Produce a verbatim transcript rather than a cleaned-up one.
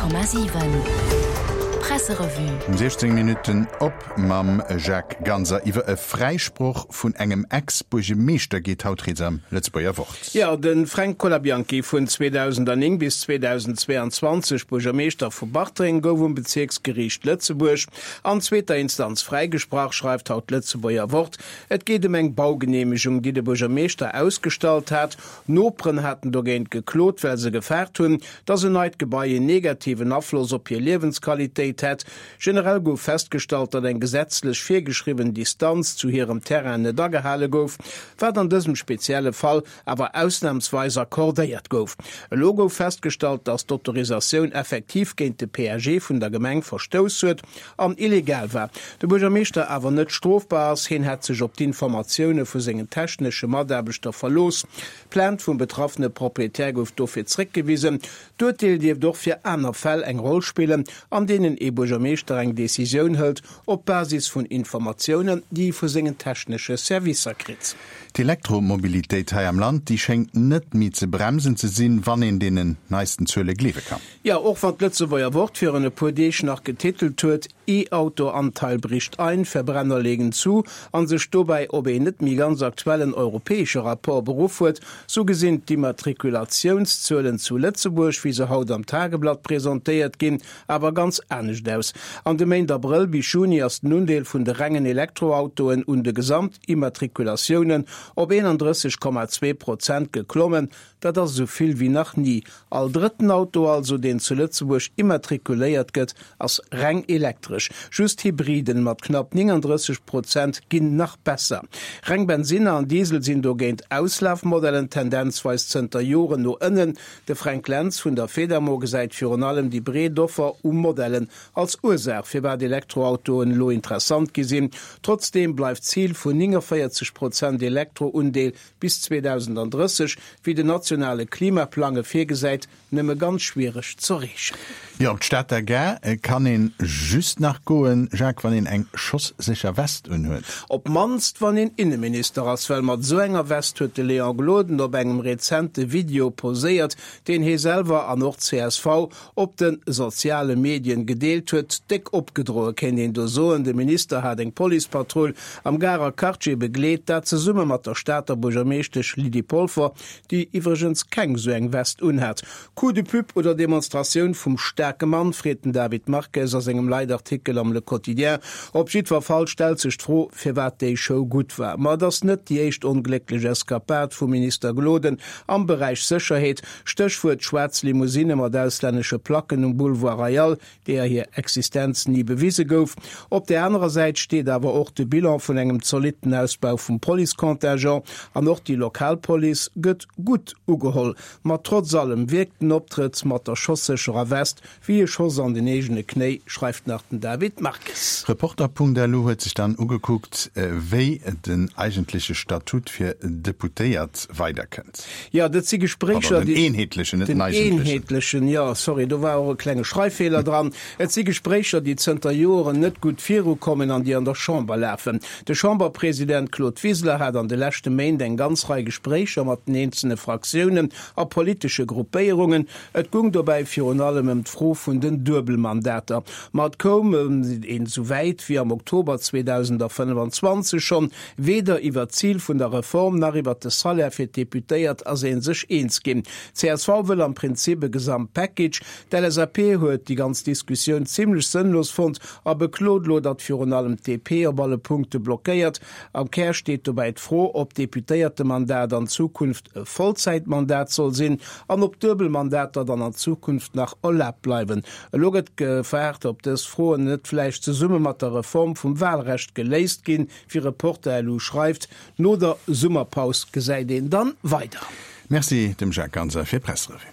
Honnert Komma siwen Presserevue. Um siechzéng Minutten op mam Jacques Ganser iwwer e Fräisproch vun engem Ex-Buergemeeschter geet haut rieds am Lëtzebuerger Wort. Jo, de Fränk Colabianchi, vun zweedausendnéng bis zweedausendzweeanzwanzeg Buergermeeschter vu Bartreng, gouf um Bezierksgeriicht Lëtzebuerg an zweeter Instanz fräigesprach, schreift haut d'Lëtzebuerger Wort. Et geet ëm eng Baugeneemegung, déi de Buergermeeschter ausgestallt hat. Noperen haten dogéint geklot, well se gefaart hunn, datt en neit Gebai en negativen Afloss op hir Liewensqualitéit hätt. Generell gouf festgestallt, datt eng gesetzlech virgeschriwwen Distanz zu hirem Terrain net agehale gouf, wat an dësem spezielle Fall awer ausnamsweis accordéiert gouf. Elo gouf festgestallt, datt d'Autorisatioun effektiv géint de P A G vun der Gemeng verstouss huet an illegal war, de Buergermeeschter awer net strofbar ass. Hien hätt sech op d'Informatioune vu sengen technesche Mataarbechter verlooss. D'Plainte vum betraffene Proprietär gouf dofir zréckgewisen. D'Urteel dierft och fir aner Fäll eng Roll spillen, an deenen ee Buergermeeschter eng Decisioun hëlt op Basis vun Informatiounen, déi e vu sengen technesche Servicer kritt. D'Elektromobilitéit hei am Land, déi schéngt net méi ze bremsen ze sinn, wann een deenen neisten Zuele gleewe kann. Jo, och wann d'Lëtzebuerger Wort virun e puer Deeg nach getitelt huet, E-Auto-Anteil bricht ein, Verbrenner legen zu, an sech dobäi op een net méi ganz aktuellen europäesche Rapport beruff huet, sou gesinn d'Immatrikulatiounszuelen zu Lëtzebuerg, wéi se haut am Tageblatt presentéiert ginn, awer ganz anescht aus. An de Méint Abrëll bis Juni ass den Undeel vun de rengen Elektroautoen un de Gesamtimmatrikulatiounen op eenandrësseg Komma zwee Prozent geklommen. Dat ass esou vill wéi nach ni. All drëtten Auto also, deen zu Lëtzebuerg immatrikuléiert gëtt, ass reng elektresch. Just Hybriden mat knapp néngandrësseg Prozent ginn nach besser. Reng Bensinner an Diesel sinn dogéint Auslafmodellen tendenzweis zënter Joren no ënnen. De Fränk Lentz vun der Fedamo gesäit virun allem déi breet Offer u Modellen als Ursaach, firwat Elektroautoen elo interessant gi sinn. Trotzdeem bleift d'Zil vun nénganvéierzeg Prozent Elektroundeel bis zweedausendandrësseg, wéi den nationale Klimaplang e virgesäit, nëmme ganz schwiereg z'erreechen. Jo, op d'Stater Gare kann een just nach goen, Jacques, wann een eng schossécher West unhuet. Op d'mannst wann een Inneminister ass, well mat esou enger West huet de Léon Gloden op engem rezente Video poséiert, deen hie selwer an och d'C S V op de soziale Medien gedeelt huet. Déck opgedroe kéint een do soen. De Minister hat eng Policepatrull am Garer Quartier begleet, dat zesumme mat der Stater Buergermeeschtesch Lydie Polfer, déi iwwregens keng esou eng West unhat. Coup de pub oder Demonstratioun vum staarke Mann, freet den David Marques a sengem Leitartikel am Le Quotidien. Op jiddwer Fall stellt sech d'Fro, firwat déi Show gutt war. Ma et ass net déi éischt onglécklech Eskapad vum Minister Gloden am Beräich Sécherheet, Stéchwuert schwaarz Limousine mat auslännesche Placken um Boulevard Royal, deeër hir Existenz ni bewise gouf. Op där anerer Säit steet awer och de Bilan vun engem zolitten Ausbau vum Policecontingent an och déi lokal Police gëtt gutt ugeholl. Ma trotz allem wierkt den Optrëtt mat der schossécherer West wéi e Schoss an den eegene Knéi, schreift nach den David Marques. Reporter Punkt L U huet sech dann ugekuckt, wéi den eigentleche Statut fir Deputéiert weiderkënnt. Jo, dat si Gespréicher, Pardon, den eenheetlechen, net den den eigentlechen. Eenheetlechen, jo, sorry, do war och e klenge Schreiffeeler dran. Et si Gespréicher, déi zënter Joren net gutt virukommen an déi an der Chamber lafen. De Chamberpresident Claude Wiseler hat an de leschte Méint eng ganz Rei Gespréicher mat den eenzelne Fraktiounen a politesche Gruppéierungen. Et goung dobäi virun allem ëm d'Fro vun den Duebelmandater. Ma et koum een esou wäit wéi am Oktober zweedausendfënnefenzwanzeg schonn, weder iwwer d'Zil vun der Reform nach iwwer de Salaire fir d'Deputéiert ass ee sech eens ginn. C S V wëll am Prinzip e Gesamtpackage. D'L S A P huet déi ganz Diskussioun zimmlech sënnlos fonnt a beklot elo, datt virun allem d'D P op alle Punkte blockéiert. Am Kär steet dobäi d'Fro, ob d'Deputéiertemandat an Zukunft e Vollzäitmandat soll sinn an ob Duebelmandater dann an Zukunft nach erlaabt bleiwen. Elo gëtt gewaart, ob dës Froen net vläicht zesumme mat der Reform vum Walrecht geléist ginn, wéi Reporter Punkt L U schreift. No der Summerpaus gesäit een dann weider. Merci dem Jacques Ganser fir d'Presserevue.